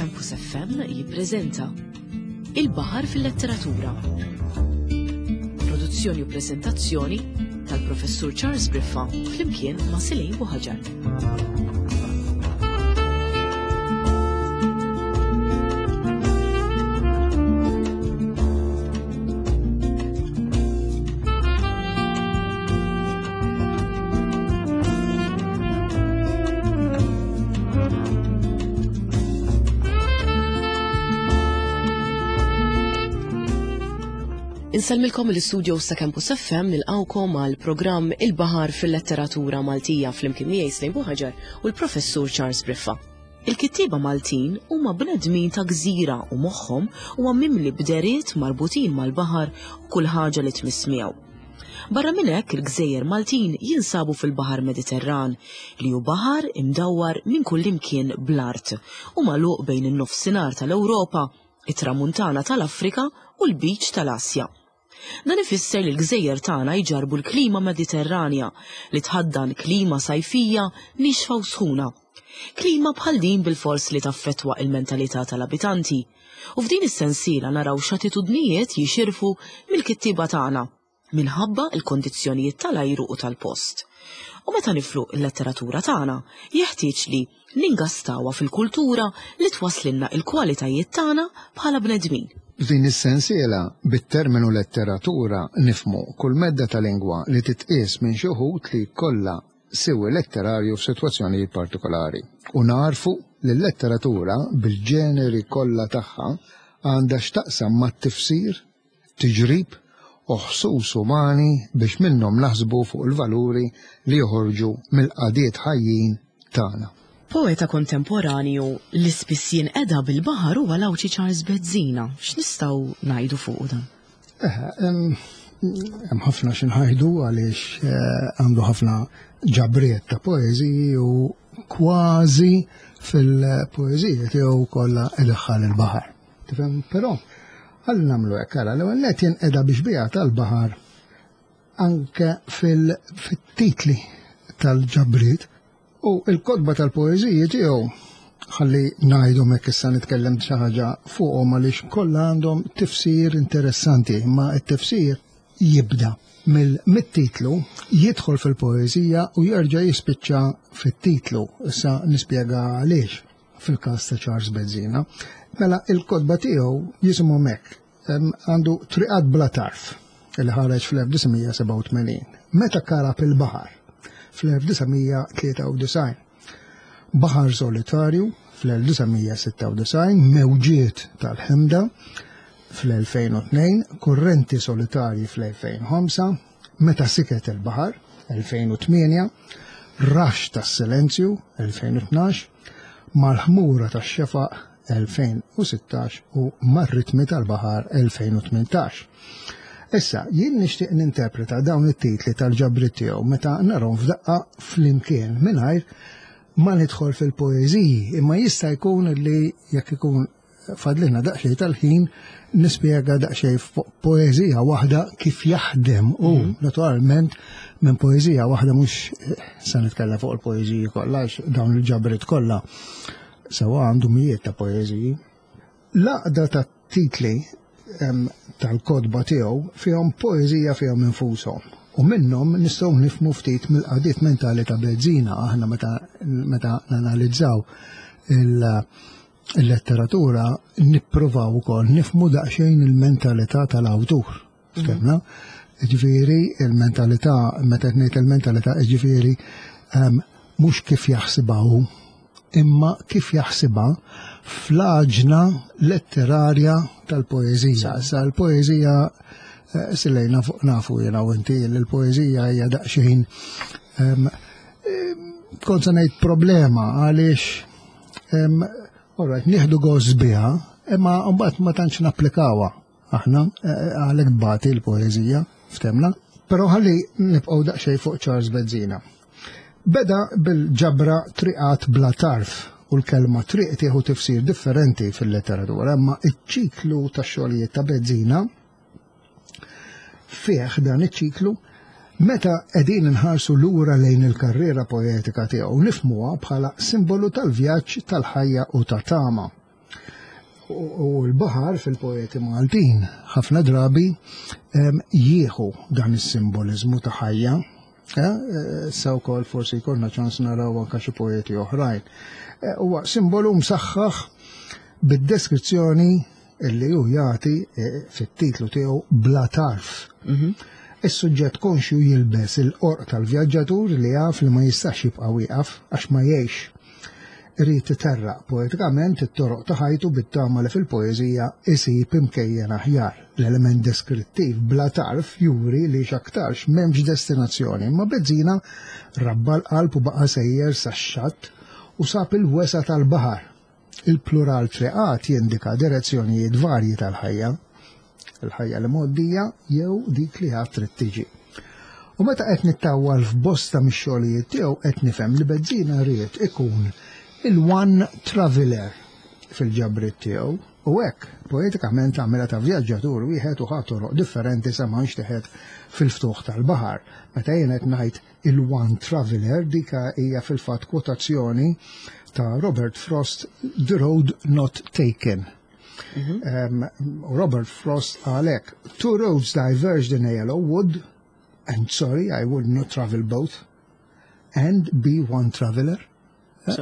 Campus FM jippreżenta Il-Baħar fil-Letteratura. Produzzjoni u preżentazzjoni tal-Professur Charles Briffa flimkien ma' Silej Buħaġar. Insellmilkom l-istudio sa Campus FM nilqawkom għal programm Il-Baħar fil-Letteratura Maltija flimkien miegħi Slejn Buħaġar u l-Professur Charles Briffa. Il-kittieba Maltin huma bnedmin ta' gżira u moħħhom huwa mimli b'deriet marbutin mal-baħar u kull ħaġa li tmiss miegħu. Barra minn hekk il-gżejjer Maltin jinsabu fil-Baħar Mediterran, li hu baħar imdawwar minn kullimkien bl-art u magħluq bejn in-Nofsinhar tal-Ewropa, it-Tramuntana tal-Afrika u l-Lbiċ tal-Asja. Dan ifisser li l-gżejjer tagħna jġarrbu l-klima Mediterranja li tħaddan klima sajfija niexfa u sħuna. Klima bħal din bilfors li taffettwa il-mentalità tal-abitanti. U f'din is-sensiela naraw x'attitudnijiet jixirfu mill-kittieba tagħna minħabba l-kondizzjonijiet tal-ajru u tal-post. U meta niflu l-letteratura tagħna, jeħtieġ li ningastawha fil-kultura li twasslilna l-kwalitajiet tagħna bħala bnedmin. F'din is-sensiela, bit-terminu letteratura nifhmu kull medda ta' lingwa li titqies minn xi wħud li jkollha siwi letterarju f'sitwazzjonijiet partikolari, u nagħrfu li l-letteratura bil-ġeneri kollha tagħha għandha x'taqsam mat-tifsir, tiġrib u ħsus umani biex minnhom naħsbu fuq il-valuri li joħorġu mill-qagħdiet ħajjin tagħna. Poeta kontemporanju li spiss jinqeda bil-baħar huwa l-Għawdxi Charles Bezzina. X'nistgħu ngħidu fuqu dan? Hemm ħafna xi ngħidu għaliex eh, għandu ħafna ġabriet ta' poeżiji u kważi fil-poeżiji tiegħu kollha idaħħal il-baħar. Tifhem? Però ħalli nagħmlu hekk ara l-ewwel nett jinqeda biex biha tal-baħar anke fil-titli tal-ġabriet u l-kotba tal-poeżiji tiegħu ħalli ngħidhom hekk issa nitkellem xi ħaġa fuqhom għaliex kollha għandhom tifsir interessanti, imma t-tifsir jibda mill-titlu, jidħol fil-poeżija u jerġa' jispiċċa fit-titlu. Issa nispjega għaliex fil-każ ta' Charles Bezzina. Mela il-kotba tiegħu jisimhom hekk. Għandu Triqat bla tarf li ħareġ fl-1987. Meta karab il-baħar fl-1993. Baħar solitarju fl-1996, Mewġiet tal-ħemda fl-2002, Kurrenti solitarji fl-2005, Meta siket il-baħar, 2008, Raxx tas-silenzju, 2012, Mal-ħmura tax-xefaq, 2016 u Mar-ritmi tal-baħar, 2018. Issa, jien nixtieq ninterpreta dawn it-titli tal-ġabriet tiegħu meta narhom f'daqqa flimkien mingħajr ma nidħol fil-poeżiji, imma jista' jkun li jekk ikun fadlilna daqsxejn tal-ħin nispjega daqsxejn fuq poeżija waħda kif jaħdem u mhm. naturalment minn poeżija waħda mhux eh, se nitkellem fuq il-poeżiji kollha għax dawn il-ġabrit kollha sewa għandu mijiet ta' poeżiji. L-għaqda ta' titli tal-kodba tiegħu fihom poeżija fihom infushom. U minnhom nistgħu nifmu ftit mill-qadiet mentali ta' Bezzina aħna meta meta nanalizzaw il- il-letteratura nippruvaw ukoll nifmu daqsxejn il-mentalità tal-awtur. Mhm. Ftemna? Ġifieri il-mentalità, meta ngħid il-mentalità, ġifieri ehm, mhux kif jaħsibha hu, imma kif jaħsibha fl-għaġna letterarja tal-poeżija. Sa l-poeżija eh, silejna fuq nafu jiena u inti l-poeżija hija daqsxejn ehm, ehm, kont se ngħid problema għaliex Alright, nieħdu gost biha, imma mbagħad ma tantx napplikawha aħna eh, eh, għalhekk tbati l-poeżija ftemna. Però ħalli nibqgħu daqsxejn fuq Charles Bezzina. Beda bil-ġabra triqat bla tarf u l-kelma triq tieħu tifsir differenti fil-letteratura, imma iċ-ċiklu tax-xogħlijiet ta' Bezzina Fih dan iċ-ċiklu, meta qegħdin inħarsu lura lejn il-karriera poetika tiegħu nifhmuha bħala simbolu tal-vjaġġ tal-ħajja u ta' tama. U l-baħar fil-poeti Maltin ħafna drabi jieħu dan is-simboliżmu ta' ħajja. Eh, sa wkoll forsi jkollna ċans naraw anke xi poeti oħrajn. Eh, huwa simbolu msaħħaħ bid-deskrizzjoni illi hu jagħti eh, fit-titlu tiegħu bla tarf. Mhm. Is-suġġett konxju jilbes il-qorq tal-vjaġġatur li jaf li ma jistax jibqa' wieqaf għax ma jgħix. Irid iterraq poetikament it-toroq ta' ħajtu bit-tama li fil-poeżija isib imkejjen aħjar. L-element deskrittiv bla tarf juri li x'aktarx m'hemmx destinazzjoni, imma Bezzina rabba l-qalb u baqa' sejjer sax-xatt u sab il-wesgħa tal-baħar. Il-plural triqat jindika direzzjonijiet varji tal-ħajja, il-ħajja li mgħoddija jew dik li għad trid tiġi. U meta qed nittawwal f'bosta mix-xogħlijiet tiegħu qed nifhem li Bezzina ried ikun il-one traveler fil-ġabriet tiegħu u hekk poetikament għamilha ta' vjaġġatur wieħed u ħa toroq differenti sa ma nxteħet fil-ftuħ tal-baħar. Meta jien qed ngħid il-One Traveler, dik hija fil-fatt kwotazzjoni ta' Robert Frost, The Road Not Taken. Mm -hmm. Robert Frost għalek, Two roads diverged in a yellow wood, and sorry, I would not travel both, and be one traveler. Eh?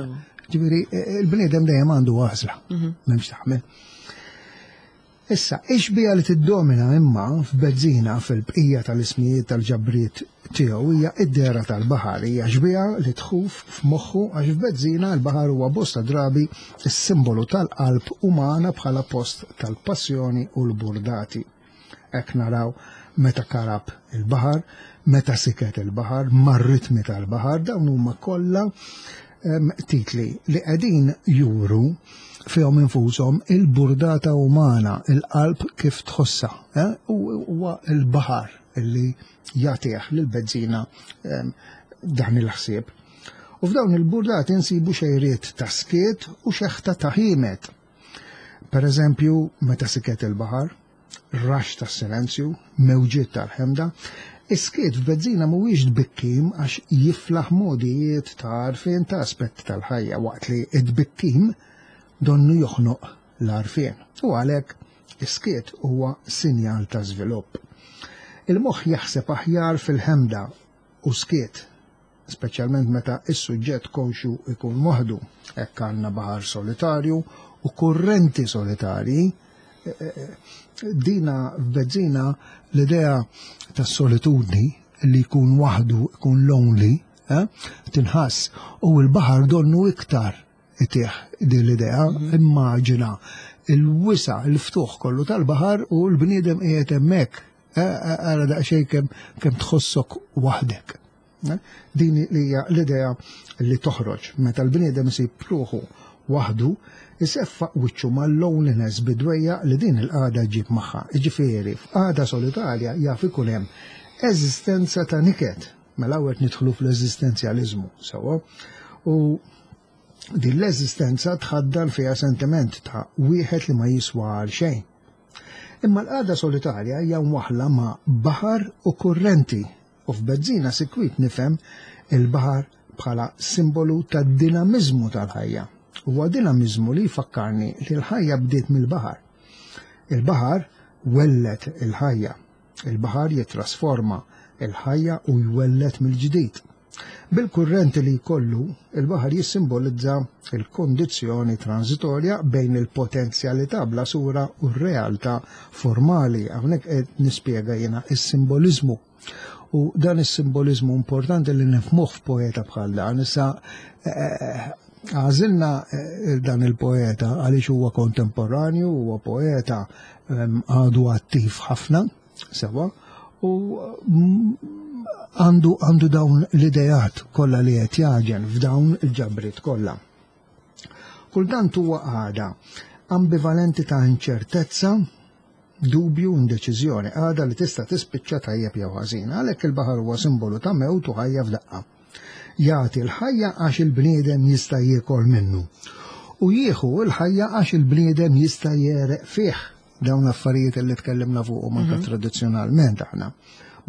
Ġifieri, eh, il-bniedem dejjem għandu għażla, mhm. m'hemmx taħmel. Issa, ix-xbieha li tiddomina imma f'Bezzina fil-bqija tal-ismijiet tal-ġabriet tiegħu hija d-dehra tal-baħar. Hija xbieha li tħuf f'moħħu għax f'Bezzina l-baħar huwa bosta drabi s-simbolu tal-qalb umana bħala post tal-passjoni u l-burdati. Hekk naraw meta karab il-baħar, meta siket il-baħar, mar-ritmi tal-baħar, dawn huma kollha titli li qegħdin juru fihom infushom il-burdata umana, il-qalb kif tħossha, eh? u huwa l-baħar li jagħtih lil Bezzina dan il-ħsieb. U f'dawn il-burdati nsibu xejriet ta' skiet u xeħta ta' ħimet. Per eżempju, meta siket il-baħar, raxx tas-silenzju, mewġiet tal-ħemda. Is-skiet f'Bezzina mhuwiex tbikkim għax jiflaħ mogħdijiet ta' għarfien ta' aspetti tal-ħajja waqt li t-tbikkim donnu joħnoq l-għarfien. U għalhekk is-skiet huwa sinjal ta' żvilupp. Il-moħħ jaħseb aħjar fil-ħemda u skiet speċjalment meta s-suġġett konxju jkun waħdu. Hekk għandna baħar solitarju u kurrenti solitarji. E, e, e, dina f'Bezzina l-idea tas-solitudni li jkun waħdu, jkun lonely, eh, tinħass u l-baħar donnu iktar itih din l-idea, mhm. immaġina il-wisa, il-ftuħ kollu tal-baħar u l-bniedem qiegħed hemmhekk. Ara daqsxejn kemm kemm tħossok waħdek. Din hija l-idea li toħroġ meta l-bniedem isib ruħu waħdu, iseffaq wiċċu mal-loneliness bidwejja li din il-qagħda ġġib magħha. Jiġifieri, f'qagħda solitarja jaf ikun hemm eżistenza ta' niket. Mela hawn qed nidħlu fl-eżistenzjaliżmu, sewwa? U din l-eżistenza tħaddan fiha sentiment ta' wieħed li ma jiswa għal xejn. Imma l-qagħda solitarja hija mwaħħla ma' baħar u kurrenti u f'Bezzina sikwit nifhem il-baħar bħala simbolu tad-dinamiżmu tal-ħajja. Huwa dinamiżmu li jfakkarni li l-ħajja bdiet mill-baħar. Il-baħar welled il-ħajja. Il-baħar jittrasforma il-ħajja u jwelled mill-ġdid. Bil-kurrenti li jkollu, il-baħar jissimbolizza l-kundizzjoni transitorja bejn il-potenzjalità bla sura u r-realtà formali. Hawnhekk qed nispjega jiena s-simboliżmu. U dan is-simboliżmu importanti li nifhmuh f'poeta bħal dan. Issa eh, għażilna eh, dan il-poeta għaliex huwa kontemporanju, huwa poeta ehm, għadu attiv ħafna Sewa, u mm, għandu għandu dawn l-idejat kollha li qed jaġen f'dawn il-ġabriet kollha. Kultant huwa għada ambivalenti ta' inċertezza, dubju, indeċiżjoni, għada li tista' tispiċċa tajjeb jew ħażin. Għalhekk il-baħar huwa simbolu ta' mewt u ħajja f'daqqa. Jagħti l-ħajja għax il-bniedem jista' jiekol minnu. U jieħu l-ħajja għax il-bniedem jista' jereq fih. Dawn l-affarijiet li tkellimna fuqhom anke mhm. tradizzjonalment aħna.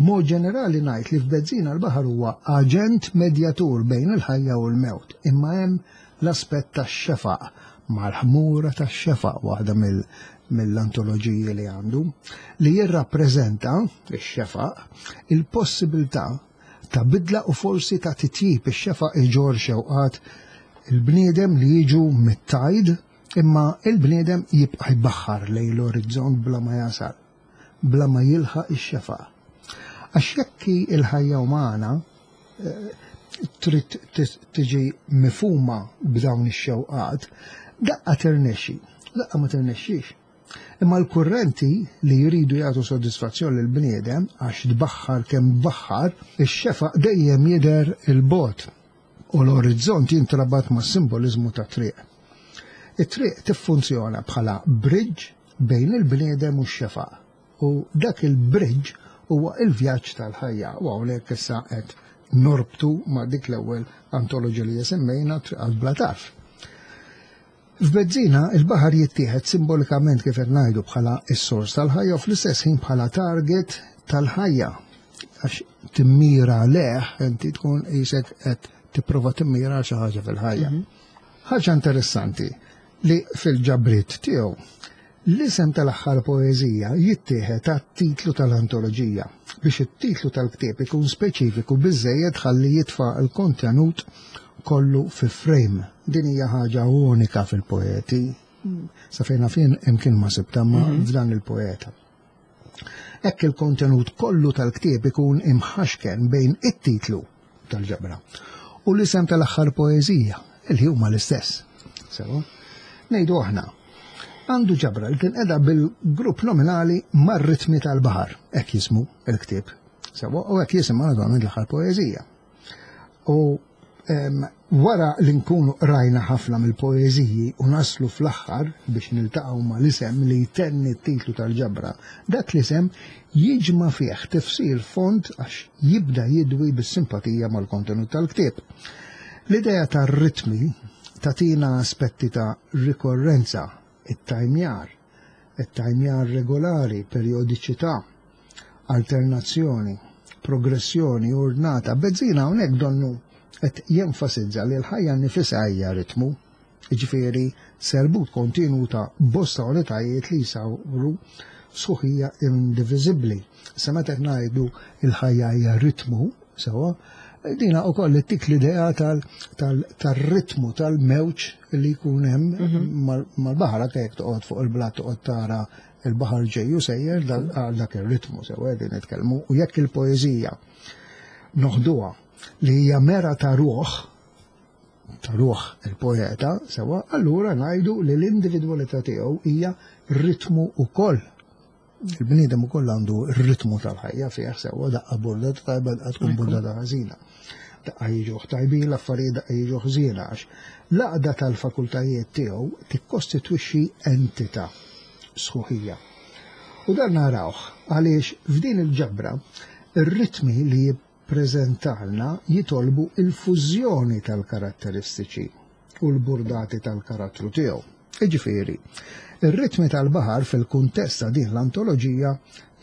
Mod ġenerali ngħid li f'Bezzina l-baħar huwa aġent medjatur bejn il-ħajja u l-mewt, imma hemm l-aspett tax-xefaq. Mal-ħmura tax-xefaq, waħda mill-antoloġiji li għandu, li jirrappreżenta x-xefaq, il-possibilità ta' bidla u forsi ta' titjib. Ix-xefaq iġorr xewqat il-bniedem li jiġu mit-tajd, imma il-bniedem jibqa' jbaħħar lejn l-orizzont bla ma jasal, bla ma jilħaq ix-xefaq. Għax jekk hi l-ħajja umana trid tiġi mifhuma b'dawn ix-xewqat, daqqa tirnexxi, daqqa ma tirnexxix. Imma l-kurrenti li jridu jagħtu sodisfazzjon lill-bniedem għax tbaħħar kemm tbaħħar, ix-xefaq dejjem jidher 'il bogħod u l-orizzont jintrabat mas-simboliżmu tat-triq. It-triq tiffunzjona bħala bridge bejn il-bniedem u x-xefaq. U dak il-bridge huwa il-vjaġġ tal-ħajja. U hawnhekk issa qed norbtu ma' dik l-ewwel antoloġija li semmejna Triqat Bla Tarf. F'Bezzina il-baħar jittieħed simbolikament kif qed ngħidu bħala s-sors tal-ħajja u fl-istess ħin bħala target tal-ħajja. Għax timmira leħ inti tkun qisek qed tipprova timmira xi ħaġa fil-ħajja. Ħaġa interessanti li fil-ġabriet tiegħu L-isem tal-aħħar poeżija jittieħed għat-titlu tal-antoloġija, biex it-titlu tal-ktieb ikun speċifiku biżżejjed ħalli jitfa' l-kontenut kollu fi frame. Din hija ħaġa unika fil-poeti, sa fejn naf jien imkien ma sibtha ma mhm. f'dan il-poeta. Hekk il-kontenut kollu tal-ktieb ikun imħaxken bejn it-titlu tal-ġabra u l-isem tal-aħħar poeżija, li huma l-istess. Sewa, ngħidu aħna, għandu ġabra li tinqeda bil-grupp nominali mar-ritmi tal-baħar, hekk jismu l-ktieb. Sewa, u hekk jisimha naturalment l-aħħar poeżija. U wara li nkunu qrajna ħafna mill-poeżiji u naslu fl-aħħar biex niltaqgħu ma' l-isem li jtenni t-titlu tal-ġabra, dak l-isem jiġma' fih tifsir fond għax jibda jidwi bis-simpatija mal-kontenut tal-ktieb. L-idea tar-ritmi tagħtina aspetti ta' rikorrenza, it-tajmjar, it-tajmjar regolari, perjodiċità, alternazzjoni, progressjoni ordnata. Bezzina hawnhekk donnu qed jenfasizza li l-ħajja nnifisha hija ritmu, jiġifieri serbut kontinwu ta' bosta unitajiet li jsawru sħuħija indiviżibbli. Issa meta qed ngħidu l-ħajja hija ritmu, sewwa, dina wkoll ittik l-idea tal-ritmu tal-mewġ li jkun hemm mhm. mal-baħar anke jekk toqgħod fuq il-blat toqgħod tara il-baħar ġej u sejjer għal dak ir-ritmu sewwa qegħdin nitkellmu u jekk il-poeżija noħduha li hija mera ta' ruħ ta' ruħ il-poeta sewwa, allura ngħidu li l-individwalità tiegħu hija ritmu wkoll. Il-bniedem ukoll għandu r-ritmu tal-ħajja fih sewwa daqqa burda tajba daqqa tkun burda ta' ħażina. Daqqa jiġuh tajbin l-affarijiet daqqa jiġuh ħżiena għax l-għaqda tal-fakultajiet tiegħu tikkostitwixxi entità, sħuħija. U dan narawh għaliex f'din il-ġabra ir-ritmi li jippreżentalna jitolbu l-fużjoni tal-karatteristiċi u l-burdati tal-karattru tiegħu. Jiġifieri, ir-ritmi tal-baħar fil-kuntest ta' din l-antoloġija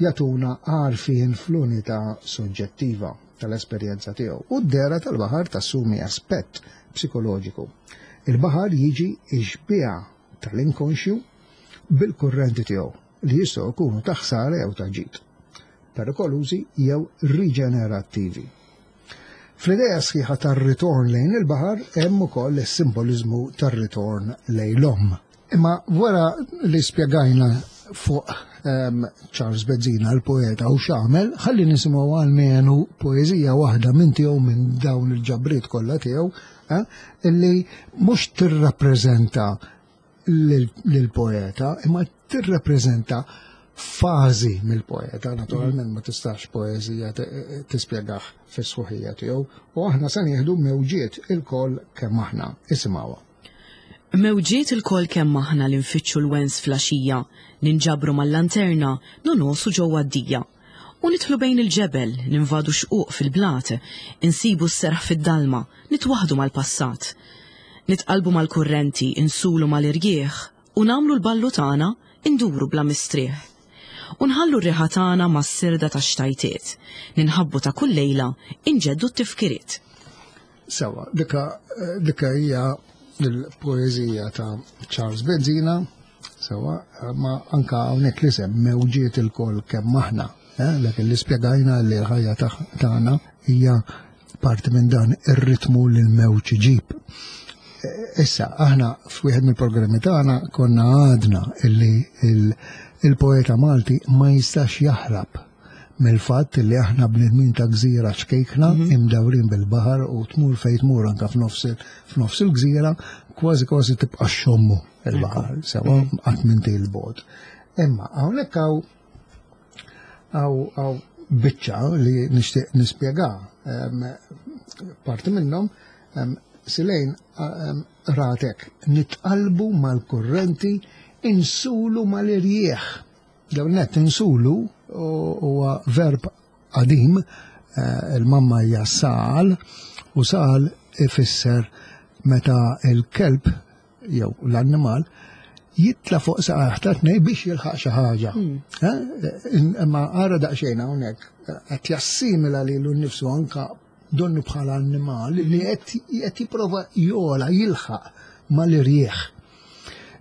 jagħtuna għarfien fl-unità soġġettiva tal-esperjenza tiegħu u d-dehra tal-baħar tassumi aspett psikoloġiku. Il-baħar jiġi x-xbieha tal-inkonxju bil-kurrenti tiegħu li jistgħu jkunu ta' ħsara jew ta' ġid, perikolużi jew riġenerattivi. Fl-idea sħiħa tar-ritorn lejn il-baħar hemm ukoll is-simboliżmu tar-ritorn lejn l-omm. Imma wara li spjegajna fuq um, Charles Bezzina l-poeta u x'għamel, ħalli nisimgħu għalmenu poeżija waħda minn tiegħu minn dawn il-ġabriet kollha tiegħu, eh, illi mhux tirrappreżenta lill-poeta, imma tirrappreżenta fażi mill-poeta, naturalment ma tistax poeżija tispjegah fis-sħuħija tiegħu, u aħna se nieħdu mewġiet ilkoll kemm aħna. Isimgħuha. Mewġiet ilkoll kemm aħna li nfittxu l-wens fl-għaxija, ninġabru mal-lanterna, nonogħsu ġewwa d-dija. U nidħlu bejn il-ġebel, ninvadu xquq fil-blat, insibu s-serħ fid-dalma, nitwaħħdu mal-passat. Nitqallbu mal-kurrenti, insulu mal-irjieħ, u nagħmlu l-ballu tagħna, induru bla mistrieħ. U nħallu r-riħa tagħna mas-sirda tax-xtajtiet, ninħabbu ta' kull lejla, inġeddu t-tifkiriet. Sewwa, dika dika hija il-poeżija ta' Charles Bezzina, sewa, ma anka hawnhekk l-isem mewġiet il-kol kemm aħna, eh, dak li spjegajna li l-ħajja tagħna hija parti minn dan ir-ritmu li l-mewġ iġib. Eh, issa, aħna f'wieħed mill-programmi tagħna konna għadna illi il-poeta Malti ma jistax jaħrab mill-fatt li aħna bnedmin ta' gżira ċkejkna mhm. imdawrin bil-baħar u tmur fejn tmur anka f'nofs il-gżira kważi kważi tibqa' xommu il-baħar, sewa mhm. qatt minn il-bot. Imma hawnhekk hawn hawn biċċa li nixtieq nispjega parti minnhom silejn ratek nitqalbu mal-kurrenti insulu mal-irjieħ. L-ewwel nett insulu huwa verb qadim, eh, il-mamma hija sal u sal ifisser meta il-kelb jew l-annimal jitla fuq saqajh ta' tnej biex jilħaq xi ħaġa. Hmm. Eh, imma ara daqsxejn hawnhekk qed jassimila lilu nnifsu anka donnu bħala annimal li qed jipprova jola jilħaq mal-irjieħ.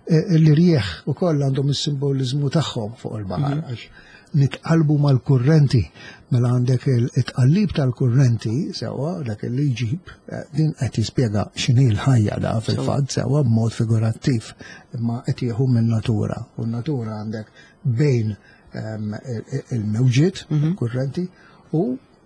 E, l-irjieħ ukoll għandhom is-simbolizmu tagħhom fuq il-baħar mhm. għax nitqalbu mal-kurrenti mela għandek il-tqallib tal-kurrenti sewa dak li jġib e, din qed jispjega x'inhi l-ħajja da fil-fatt sewa b'mod figurattiv imma qed jieħu minn natura u n-natura għandek bejn il-mewġiet mhm. kurrenti u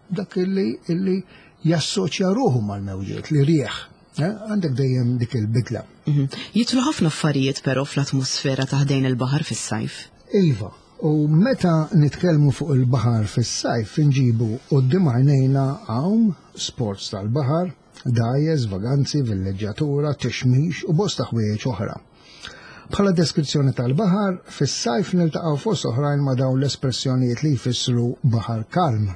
dak illi illi jassoċja ruħu mal-mewġiet li rieħ. Eh, għandek dejjem dik il-bidla. Mhm. Jitlu ħafna affarijiet però fl-atmosfera ta' ħdejn il-baħar fis-sajf. Iva, u meta nitkellmu fuq il-baħar fis-sajf inġibu quddiem għajnejna għawm, sports tal-baħar, dgħajjes, vaganzi, villeġġjatura, tixmix u bosta ħwejjeġ oħra. Bħala deskrizzjoni tal-baħar, fis-sajf niltaqgħu fost oħrajn ma' dawn l-espressjonijiet li jfissru baħar kalm.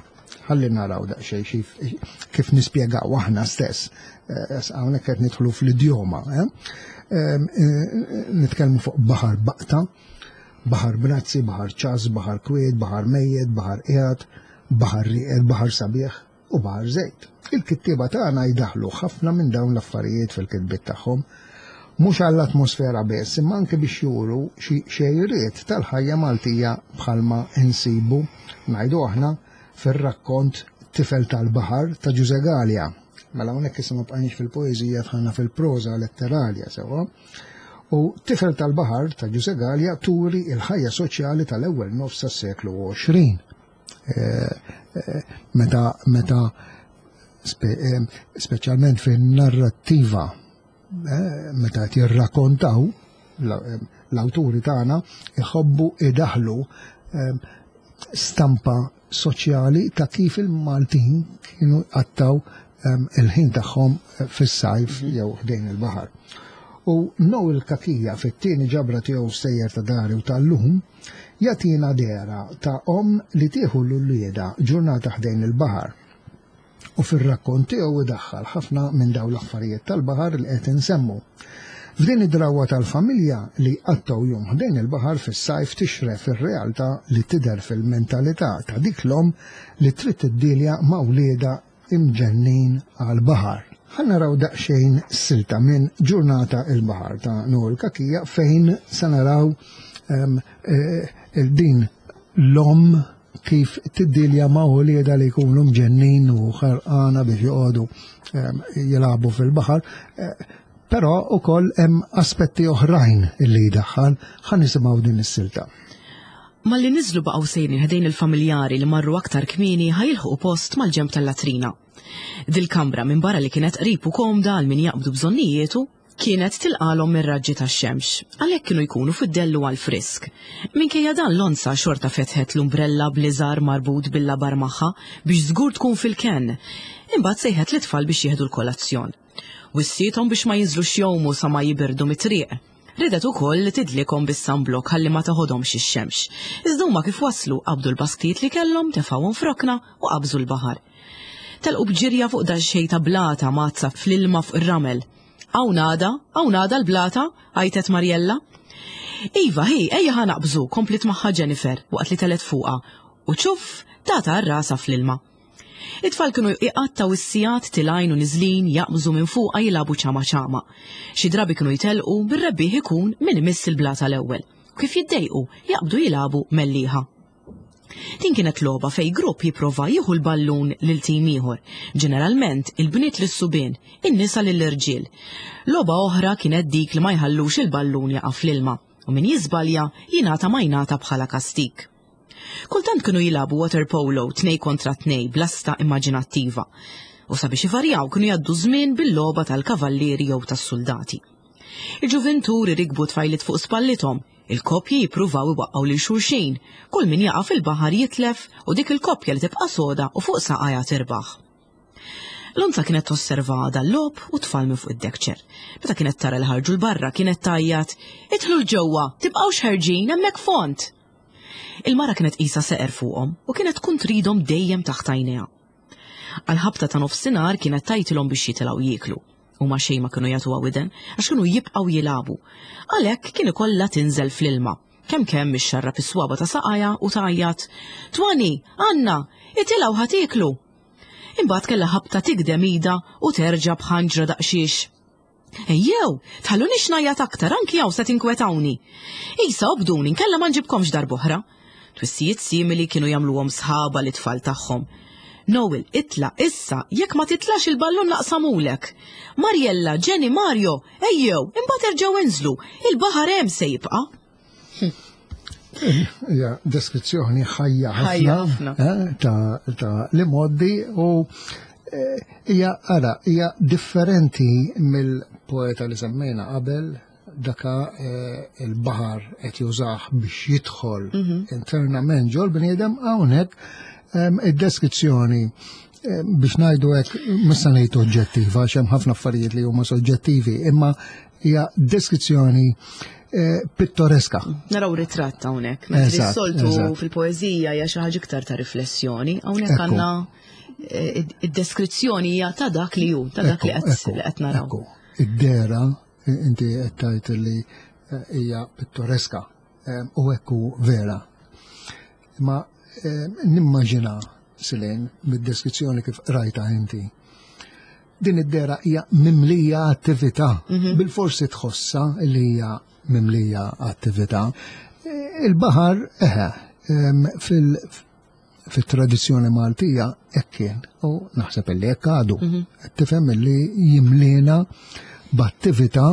Ħalli naraw daqsxejn kif nispjegaw aħna stess. Eh, hawnhekk qed nidħlu fl-idjoma. Eh? Eh, nitkellmu fuq baħar baqta, baħar brazzi, baħar ċas, baħar kwiet, baħar mejjet, baħar qiegħed, baħar rieqed, baħar sabiħ u baħar żejt. Il-kittieba tagħna jdaħlu ħafna minn dawn l-affarijiet fil-kitbiet tagħhom, mhux għall-atmosfera biss, imma anke biex juru xi xejriet tal-ħajja Maltija bħalma insibu, ngħidu aħna, fir-rakkont Tifel tal-Baħar ta' Ġużè Galea. Mela hawnhekk issa ma bqajniex fil-poeżija dħalna fil-proża letterarja sewwa. U Tifel tal-Baħar ta' Ġużè Galea turi l-ħajja soċjali tal-ewwel nofs tas-seklu 20. Eh, eh, meta meta eh, speċjalment fin-narrattiva meta qed jirrakkontaw l-awturi tagħna iħobbu idaħlu stampa soċjali ta' kif il-Maltin kienu għattaw il-ħin tagħhom fis-sajf mhm. jew ħdejn il-baħar. U Noel Kakija fit-tieni ġabra tiegħu stejjer ta' dari u tal-lum Jagħtina dehra ta' omm li tieħu 'l uliedha ġurnata ħdejn il-baħar. U fir-rakkont tiegħu idaħħal ħafna minn dawn l-affarijiet tal-baħar li qed insemmu. F'din id-drawwa tal-familja li jqattgħu jum ħdejn il-baħar fis-sajf tixref ir-realtà li tidher fil-mentalità ta' dik l-omm li trid tiddilja ma' wliedha imġennin għall-baħar. Ħa naraw daqsxejn silta minn Ġurnata il-Baħar ta' Noel Cachia fejn se naraw ehm, eh, din l-omm kif tiddilja ma' uliedha li jkunu mġennin u ħerqana biex joqogħdu ehm, jilagħbu fil-baħar. Eh, però ukoll hemm aspetti oħrajn illi jdaħħal ħa nisimgħu din is-silta. Malli niżlu baqgħu sejrin ħdejn il-familjari li marru aktar kmieni ħa jilħqu post mal-ġenb tal-latrina. Dil-kamra minbarra li kienet qrib u komda għal min jaqbdu bżonnijietu, kienet tilqalhom mir-raġġi tax-xemx, għalhekk kienu jkunu fid-dell u għall-frisk. Minkejja dan l-onza xorta fetħet l-umbrella bl-iżar marbut bil-labar magħha biex żgur tkun fil-kenn. Imbagħad sejħet lit-tfal biex jieħdu l-kolazzjon. Wissiethom biex ma jinżlux jgħumu sa ma jibirdu mit-triq. Riedet ukoll li tidlikhom bis-sunblock ħalli ma teħodhomx ix-xemx. Iżda huma kif waslu qabdu l-basktijiet li kellhom, tefgħuhom f'rokna u qabżu l-baħar. Telqu b'ġirja fuq daqsxejn ta' blata mgħaddsa fl-ilma fuq ir-ramel. Hawn għadha, hawn għadha l-blata, għajtet Mariella. Iva, hi, ejja ħa naqbżu, kompliet magħha Jennifer waqt li telgħet fuqha u ċuff, tatha għal rasha fl-ilma. It-tfal kienu iqattgħu s-sigħat tilgħin u niżlin jaqbżu minn fuqha jilagħbu ċama ċama. Xi drabi kienu jtellqu bir-rebbieħ ikun min imiss il-blata l-ewwel. U kif jiddejqu, jaqbdu jilagħbu mellieħa. Din kienet logħba fejn grupp jipprova jieħu l-ballun lil tim ieħor, ġeneralment il-bniet lis-subien, in-nisa lill-irġiel. Logħba oħra kienet dik li ma jħallux il-ballun jaqa' fl-ilma u min jiżbalja jingħata majnata bħala kastig. Kultant kienu jilagħbu waterpolo tnej kontra tnej b'lasta immaġinattiva. U sabiex ivarjaw kienu jgħaddu żmien bil-logħba tal-kavallieri jew tas-suldati. Il-ġuvintur irikbu tfajliet fuq spallithom, il-koppji jippruvaw iwaqqgħu lil xulxin, kull min jaqa' fil-baħar jitlef u dik il-koppja li tibqa' soda u fuq saqajha tirbaħ. Lonza kienet tosserva dal-logħob u tfal minn fuq id-dekċer. Meta kienet tara li ħarġu l-barra kienet tgħajjat, "Idħlu 'l ġewwa, tibqgħux ħerġin hemmhekk fond!" Il-mara kienet qisha seqer fuqhom u kienet tkun tridhom dejjem taħt għajnejha. Għal-ħabta ta' nofsinhar kienet tgħajtilhom biex jitilgħu jieklu. Huma xejn ma kienu jagħtuha widen għax kienu jibqgħu jilagħbu. Għalhekk kien ikollha tinżel fl-ilma. Kemm kemm ixxarrab is-swaba ta' saqajha u tgħajjat, Twani, Anna, itilgħu ħa tieklu! Imbagħad kellha ħabta tigdem idha u terġa' b'ħanġra daqsxiex. Ejjew, tħallunix ngħajjat aktar anki hawn se tinkwetawni. Isa obduni nkella ma nġibkomx darb'oħra. Twissijiet simili kienu jagħmluhom sħaba lit-tfal tagħhom. Noel, itla' issa, jekk ma titlax il-ballun naqsamulek. Mariella, Jenny, Mario, ejjew, imbagħad erġgħu inżlu, il-baħar hemm se jibqa'. Hija deskrizzjoni ħajja ħafna eh, ta' li moddi u eh, hija ara hija differenti mill-poeta li semmejna qabel daka eh, il-baħar qed jużah biex jidħol mhm. internament ġol bniedem hawnhekk id-deskrizzjoni biex ngħidu hekk mista ngħid oġġettiva għax hemm ħafna affarijiet li huma soġġettivi, imma hija deskrizzjoni eh, pittoreska. Naraw ritratt hawnhekk, mentri s-soltu fil-poeżija hija xi ħaġa iktar ta' riflessjoni, hawnhekk għandna eh, id-deskrizzjoni hija ta' dak li hu, ta' dak li qed naraw. Id-dera inti qed tgħid li eh, hija pittoreska u hekk hu vera. Ma nimmaġina Silen mid-deskrizzjoni kif qrajta inti Din id-dera hija mimlija attività. Mhm. Bil-forsi tħossa li hija mimlija attività. Il-baħar, eħe, fil- fit-tradizzjoni Maltija hekk kien u naħseb illi hekk għadu. Mhm. Tifhem illi jimlina b'attività,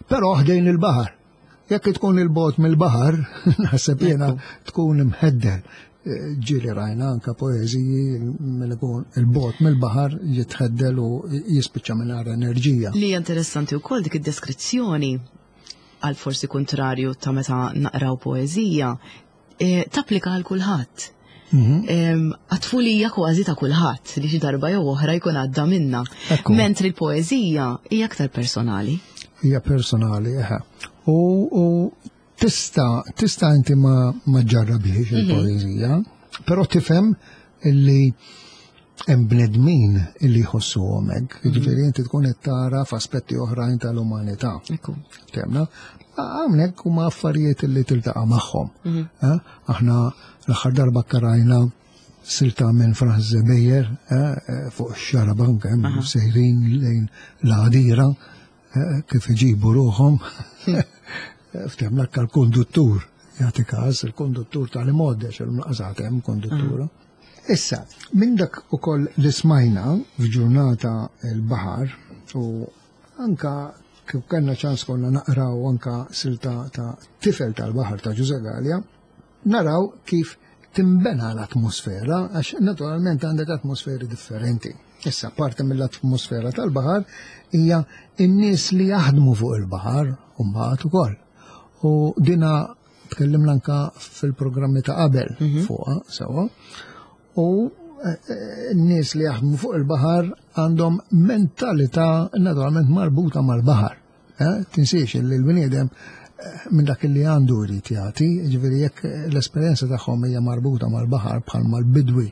però ħdejn il-baħar. Jekk tkun il-bot mill-baħar, naħseb jiena tkun imħeddel. Eh, ġieli rajna anka poeżiji minn ikun il-bot mill-baħar jitħeddel u jispiċċa mingħajr enerġija. Li interessanti wkoll dik id-deskrizzjoni għal forsi kontrarju ta' meta naqraw poeżija, eh, tapplika għal kulħadd. Mhm. Għat-tfulija kważi ta' kulħadd li xi darba jew oħra jkun għadda minna. Mentri l-poeżija hija aktar personali. Hija personali, eħe. U tista' tista' inti ma ma ġarrabiex mhm. il-poeżija, però tifhem illi hemm bnedmin illi jħossuhom hekk. Mhm. Jiġifieri inti tkun qed tara f'aspetti oħrajn tal-umanità. Temna, hawnhekk huma affarijiet illi tiltaqa' magħhom. Mhm. Eh, aħna l-aħħar darba karajna silta minn Franz Zebejer eh, eh, fuq xarabank hemm sejrin lejn l-għadira kif iġibu ruħhom. Ftem l-akka l-konduttur, jagħti każ il-konduttur tal-imgħoddex il-mlaqasat hemm konduttura. Issa, minn dak ukoll li smajna f'ġurnata l-baħar u anka kif kellna ċans konna naqraw anka silta ta' tifel tal-baħar ta' Ġuże Gallia, naraw kif timbena l-atmosfera, għax naturalment għandek atmosferi differenti. Issa, parti mill-atmosfera tal-baħar hija n-nies li jaħdmu fuq il-baħar u mbagħad ukoll. U dina tkellimna anka fil-programmi ta' qabel mhm. fuqha sewwa. U eh, eh, n-nies li jaħdmu fuq il-baħar għandhom mentalità naturalment marbuta mal-baħar. Eh, tinsiex li l-bniedem minn dak li għandu jrid jagħti, ġifieri jekk l-esperjenza tagħhom hija marbuta mal-baħar bħal mal-bidwi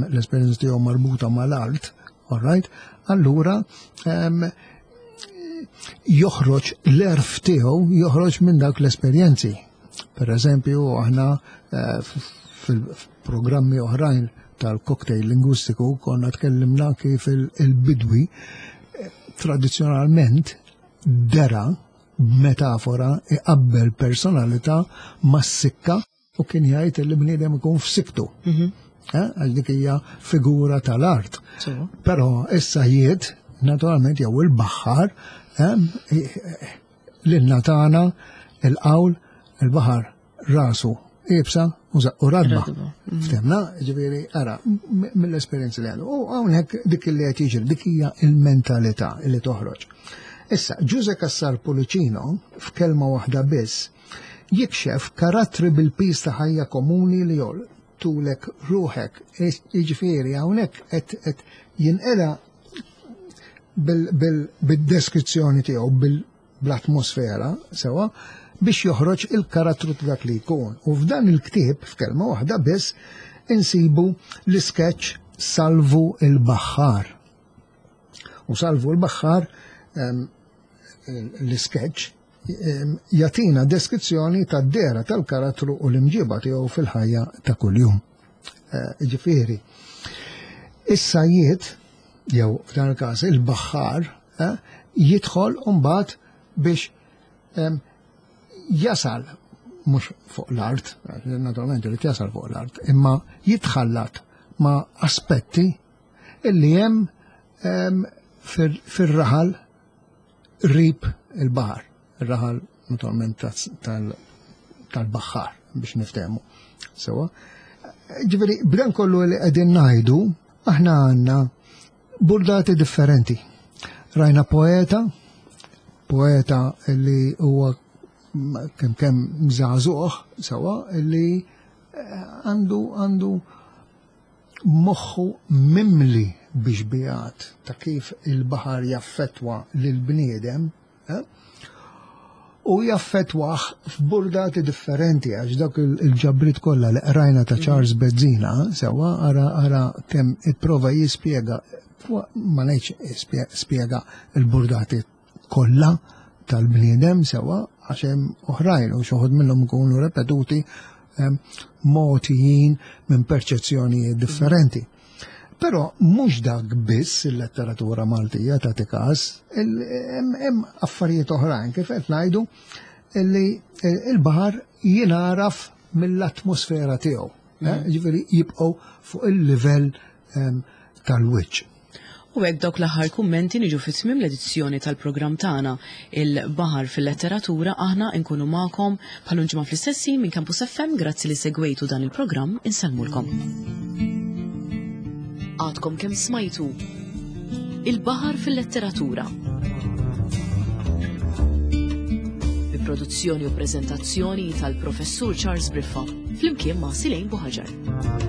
l-esperjenza tiegħu marbuta mal-art, all right, allura joħroġ l-erf tiegħu joħroġ minn dak l-esperjenzi. Per eżempju, aħna eh, fil-programmi oħrajn tal-cocktail lingwistiku konna tkellimna kif il-bidwi eh, tradizzjonalment dera b'metafora iqabbel personalità mas-sikka u kien jgħid li bniedem ikun f'siktu. Mhm. Eh, għax dik hija figura tal-art. Però issa jiet, naturalment jew il-baħar, eh, lilna tagħna il-qawl il-baħar rasu ibsa u zaqqu radba. Mhm. Ftemna, ġifieri, ara, mill-esperjenzi li għandu. U hawnhekk dik li qed jiġri, dik hija il-mentalità li toħroġ. Issa, Ġuże Cassar Pulicino, f'kelma waħda biss, jikxef karattri bil-piż ta' ħajja komuni li jol tulek ruħek. Jiġifieri hawnhekk qed jinqeda bil-deskrizzjoni tiegħu bl-atmosfera sewa biex joħroġ il-karattru ta' dak li jkun. U f'dan il-ktieb, f'kelma waħda biss, insibu l-iskeċ Salvu il-Baħħar. U Salvu l-Baħħar l-iskeċ jagħtina deskrizzjoni tad-dehra tal-karattru u l-imġiba tiegħu fil-ħajja ta' kuljum. Eh, ġifieri, is-sajjied jew f'dan il-każ il-baħħar eh, jidħol mbagħad biex jasal mhux fuq l-art, naturalment irid jasal fuq l-art, imma jitħallat ma' aspetti illi hemm fir-raħal qrib il-baħar, ir-raħal naturalment tal-baħħar biex niftehmu. Sewa. Ġifieri, b'dan kollu li qegħdin ngħidu, aħna għandna burdati differenti. Rajna poeta, poeta li huwa kemm kemm żagħżugħ sewa li eh, għandu għandu moħħu mimli bi xbihat ta' kif il-baħar jaffettwa lill-bniedem, eh, u jaffettwah f'burdati differenti għax dak il-ġabriet kollha li qrajna ta' Charles Bezzina sewwa ara ara kemm ipprova jispjega ma ngħidx spjega l-burdati kollha tal-bniedem sewwa għax hemm oħrajn u xi minnhom ikunu repetuti mogħtijin minn perċezzjonijiet differenti. Però mhux dak biss il-letteratura Maltija tagħti każ, hemm affarijiet oħrajn kif qed ngħidu li il-baħar jingħaraf mill-atmosfera tiegħu. Eh, mm. Ġifieri jibqgħu fuq il-livell tal-wiċċ. U hekk dawk l-aħħar kummenti niġu fi tmiem l-edizzjoni tal-programm tagħna Il-Baħar fil-Letteratura aħna nkunu magħkom bħal ġimgħa fl-istess ħin minn Campus FM grazzi li segwejtu dan il-programm insellmulkom. Għadkom kemm smajtu Il-Baħar fil-Letteratura. Bi produzzjoni u preżentazzjoni tal-Professur Charles Briffa flimkien ma' Silejn Buħaġar.